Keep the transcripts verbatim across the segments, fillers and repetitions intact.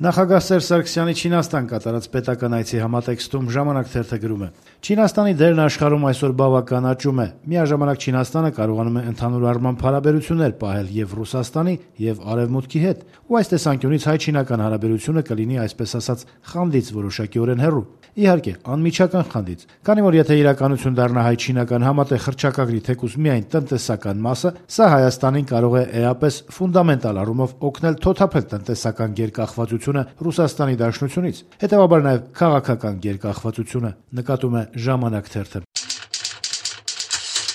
Նախագահ Սերժ Սարգսյանի Չինաստան կատարած պետական այցի համատեքստում «Ժամանակ» թերթը գրում է. «Չինաստանի դերն աշխարհում այսօր բավական աճում է։ Միաժամանակ Չինաստանը կարողանում է ընդհանուր առմամբ հարաբերություններ պահել եւ Ռուսաստանի, եւ Արեւմուտքի հետ, ու այս տեսանկյունից հայ-չինական հարաբերությունը կլինի, այսպես ասած, խանդից որոշակիորեն հեռու։ Իհարկե, անմիջական խանդից, քանի որ եթե իրականություն դառնա հայ-չինական համատեղ հռչակագրի թեկուզ միայն տնտեսական մասը, սա Հայաստանին կարող է էապես ֆունդամենտալ առումով օգնել թոթափել տնտեսական գերկախվածությունը Ռուսաստանի Դաշնությունից, հետեւաբար նաեւ քաղաքական գերկախվածությունը», նկատում է «Ժամանակ» թերթը։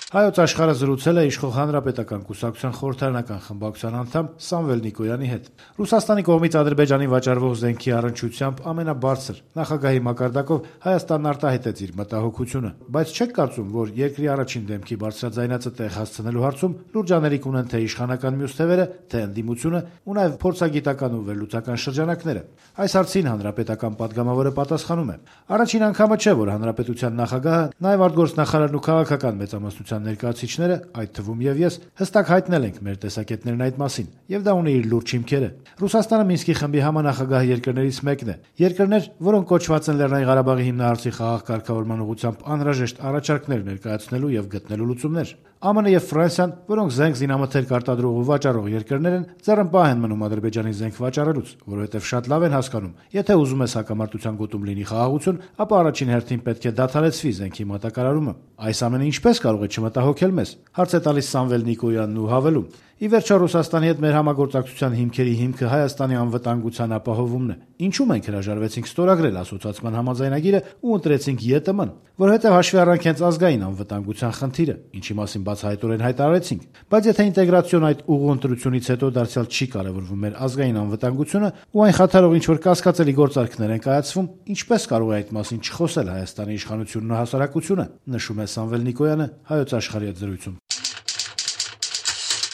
Հայոց աշխարհը զրուցել է իշխող Հանրապետական կուսակցության խորհրդարանական խմբակցության անդամ Սամվել Նիկոյանի հետ։ Ռուսաստանի կողմից Ադրբեջանին վաճառվող զենքի առնչությամբ ամենաբարձր նախագահի մակարդակով Հայաստանն արտահայտեց իր մտահոգությունը, բայց չեք կարծում, որ երկրի առաջին դեմքի բարձրաձայնածը տեղ հասցնելու հարցում լուրջ աներիկ ունեն թե իշխանական մյուս թևերը, թե ընդդիմությունը ու նաև փորձագիտական ու վերլուծական շրջանակները։ Այս հարցին Հանրապետական падգամավորը պատասխանում է. «Առաջին անգամը չէ, որ Հանրապետության նախագահը, նաև արտգործնախարարն ու քաղաքական մեծամասնության ներկայացուցիչները, այդ թվում եւ ես, հստակ հայտնել ենք մեր տեսակետներն այդ մասին, եւ դա ունի իր լուրջ հիմքերը։ Ռուսաստանը Մինսկի խմբի համանախագահ երկրներից մեկն է։ Երկրներ, որոնք կոչված են Լեռնային Ղարաբաղի հիմնահարցի խաղաղ կարգավորման ուղղությամբ անհրաժեշտ առաջարկներ ներկայացնելու եւ գտնելու լուծումներ։ ԱՄՆ-ը եւ Ֆրանսիան, որոնք զենք զինամթերք արտադրող ու վաճառող երկրներ են, ձեռնպահ են մնում Ադրբեջանի զենք վաճառելուց, որովհետեւ շատ լավ են հասկանում, եթե ուզում ես հակամարտության գոտում լինի խաղաղություն, ապա առաջին հերթին պետք է դադարեցվի զենքի մատակարարումը։ Այս ամենը ինչպես կարող է չմտահոգել մեզ», հարց է տալիս Սամվել Նիկոյանն ու հավելում. «Ի վերջո Ռուսաստանի հետ մեր համագործակցության հիմքերի հիմքը Հայաստանի անվտանգության ապահովումն է։ Ինչու մենք հրաժարվեցինք ստորագրել ասոցիացիան համաձայնագիրը ու ընտրեցինք ԵՏՄ-ն, որովհետև հաշվի առանք հենց ազգային անվտանգության խնդիրը, ինչի մասին բացահայտորեն հայտարարեցինք։ Բայց եթե ինտեգրացիոն այդ ուղու ընտրությունից հետո դարձյալ չի կարևորվում մեր ազգային անվտանգությունը ու այն խաթարող ինչ-որ կասկածելի գործարքներ են կայացվում, ինչպես կարող է այդ մասին չխոսել Հայաստանի իշխանությունն ու հասարակությունը», նշում է Սամվել Նիկոյանը Հայոց աշխարհի հետ զրույցում։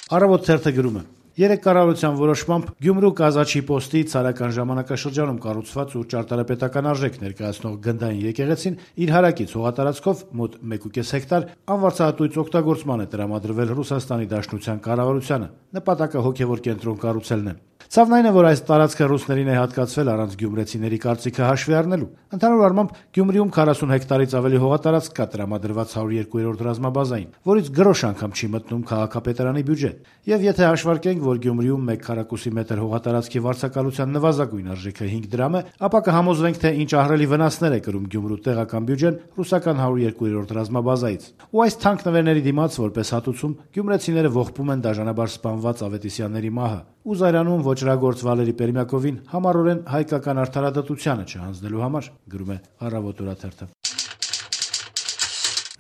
Առավոտ թերթը գրում է. «Երեք կառավարության որոշմամբ Գյումրու Կազաչի պոստի ցարական ժամանակաշրջանում կառուցված ու ճարտարապետական արժեք ներկայացնող գնդային եկեղեցին իր հարակից հողատարածքով մոտ մեկ ու կես հեկտար անվարձահատույց օգտագործման է տրամադրվել Ռուսաստանի Դաշնության կառավարությանը։ Նպատակը հոգևոր կենտրոն կառուցելն է։ Ցավն այն է, որ այս տարածքը ռուսներին է հատկացվել առանց գյումրեցիների կարծիքը հաշվի առնելու։ Ընդհանուր առմամբ Գյումրիում քառասուն հեկտարից ավելի հողատարածք կա տրամադրված հարյուր երկու ռազմաբազային, որից գրոշ անգամ չի մտնում քաղաքապետարանի բյուջե։ Եվ եթե հաշվարկենք, որ Գյումրիում մեկ քառակուսի մետր հողատարածքի վարձակալության նվազագույն արժեքը հինգ դրամ է, ապա կհամոզվենք, թե ինչ ահռելի վնասներ է կրում Գյումրու տեղական բյուջեն ռուսական հարյուր երկու ռազմաբազայից։ Ու այս թանկ նվերների դիմաց որպես հատուցում գյումրեցիները ողբում են դաժանաբար սպանված Ավետիսյանների մահը ու զայրանում ոճրագործ Վալերի Պերմյակովին համառորեն հայկական արդարադատությանը չհանձնելու համար», գրում է Առավոտ օրաթերթը։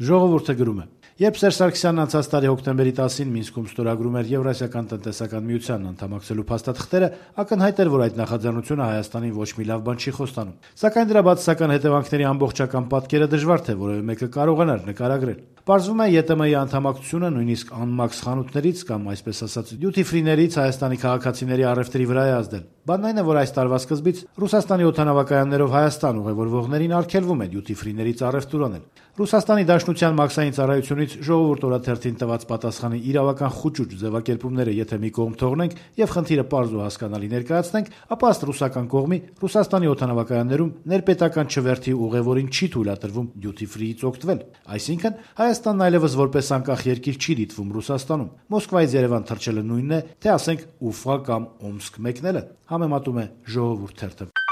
Ժողովուրդը գրում է. «Երբ Սերժ Սարգսյանն անցած տարի հոկտեմբերի տասին Մինսկում ստորագրում էր Եվրասիական տնտեսական միությանն անդամակցելու փաստաթղթերը, ակնհայտ էր, որ այդ նախաձեռնությունը Հայաստանին ոչ մի լավ բան չի խոստանում։ Սակայն դրա բացասական հետևանքների ամբողջական պատկերը դժվար թե որևէ մեկը կարողանար նկարագրել։ Պարզվում է ԵՏՄ-ի անդամակցությունը նույնիսկ անմաքս խանութներից կամ այսպես ասած դյութի ֆրիներից Հայաստանի քաղաքացիների առևտրի վրա է ազդել։ Բանն այն է, որ այս տարվա սկզբից Ռուսաստանի օդանավակայաններով Հայաստան ուղևորվողներին արգելվում է դյութի ֆրիներից առևտուր անել։ Ռուսաստանի Դաշնության մաքսային ծառայությունից Ժողովուրդ օրաթերթին տված պատասխանի իրավական խուճուճ ձևակերպումները եթե մի կողմ թողնենք եւ խնդիրը պարզ ու հասկանալի ներկայացնենք, ապա ըստ ռուսական կողմի Ռուսաստանի օդանավակայաններում ներպետական չվերթի ուղևորին չի թույլատրվում դյութի ֆրիից օգտվել։ Այսինքն Հայաստանն այլևս որպես անկախ երկիր չի դիտվում Ռուսաստանում։ Մոսկվայից Երևան թռչելը նույնն է, թե ասենք Ուֆա կամ Օմսկ մեկնելը», համեմատում է Ժողովուրդ թերթը։